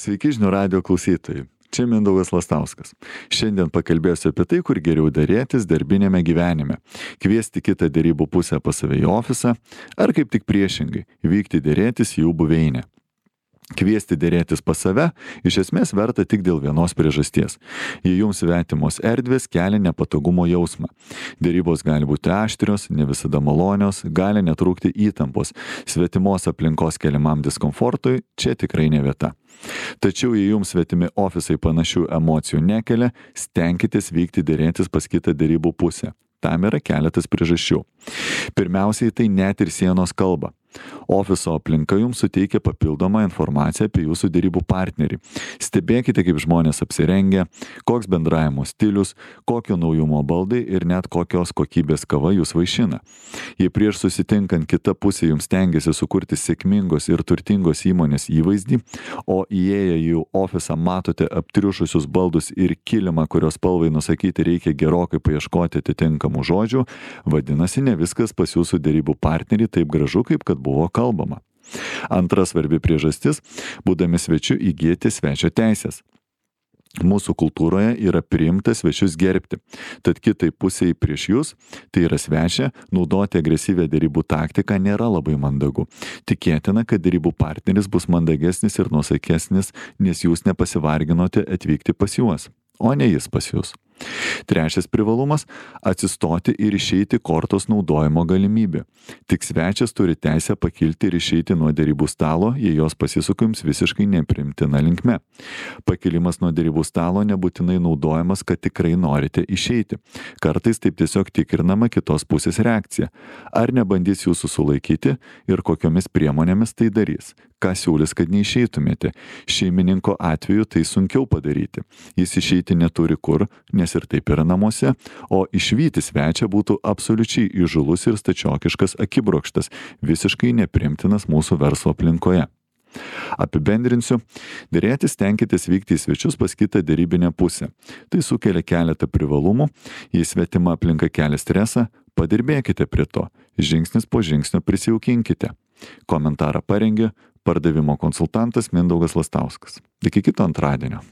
Sveiki žinių radijo klausytojai. Čia Mindaugas Lastauskas. Šiandien pakalbėsiu apie tai, kur geriau derėtis darbinėme gyvenime. Kviesti kitą derybų pusę pas save į ofisą, ar kaip tik priešingai, vykti derėtis į jų buveinę. Kviesti derėtis pas save iš esmės verta tik dėl vienos priežasties. Jei jums svetimos erdvės kelia nepatogumo jausmą. Derybos gali būti aštrios, ne visada malonios, gali netrūkti įtampos. Svetimos aplinkos keliamam diskomfortui čia tikrai ne vieta. Tačiau jei jums svetimi ofisai panašių emocijų nekelia, stenkitės vykti derėtis pas kitą derybų pusę. Tam yra keletas priežasčių. Pirmiausiai tai net ir sienos kalba. Ofiso aplinka jums suteikia papildomą informaciją apie jūsų derybų partnerį. Stebėkite, kaip žmonės apsirengia, koks bendravimo stilius, kokio naujumo baldai ir net kokios kokybės kava jūs vaišina. Jei prieš susitinkant kita pusė jums stengiasi sukurti sėkmingos ir turtingos įmonės įvaizdį, o įėję į jų ofisą matote aptriušusius baldus ir kilimą, kurios spalvai nusakyti reikia gerokai paieškoti atitinkamų žodžių, vadinasi, ne viskas pas jūsų derybų partnerį taip gražu, kaip kad buvo kalbama. Antra svarbi priežastis – būdami svečiu įgyti svečio teisės. Mūsų kultūroje yra priimta svečius gerbti, tad kitai pusiai prieš jūs, tai yra svečia, naudoti agresyvią derybų taktiką nėra labai mandagu. Tikėtina, kad derybų partneris bus mandagesnis ir nuosaikesnis, nes jūs nepasivarginote atvykti pas juos, o ne jis pas jūs. Trečias privalumas – atsistoti ir išeiti kortos naudojimo galimybė. Tik svečias turi teisę pakilti ir išeiti nuo derybų stalo, jei jos pasisuka jums visiškai nepriimtina linkme. Pakilimas nuo derybų stalo nebūtinai naudojamas, kad tikrai norite išeiti. Kartais taip tiesiog tikrinama kitos pusės reakcija. Ar nebandys jūsų sulaikyti ir kokiomis priemonėmis tai darys. Ką siūlys, kad neišeitumėte. Šeimininko atveju tai sunkiau padaryti. Jis išeiti neturi kur, nes ir taip yra namuose, o išvyti svečią būtų absoliučiai įžūlus ir stačiokiškas akibrokštas, visiškai neprimtinas mūsų verslo aplinkoje. Apibendrinsiu, derėtis stenkitės vykti į svečius pas kitą derybinę pusę. Tai sukelia keletą privalumų, jei svetima aplinka kelia stresą, padirbėkite prie to, žingsnis po žingsnio prisijaukinkite. Komentarą parengė pardavimo konsultantas Mindaugas Lastauskas. Iki kito antradienio.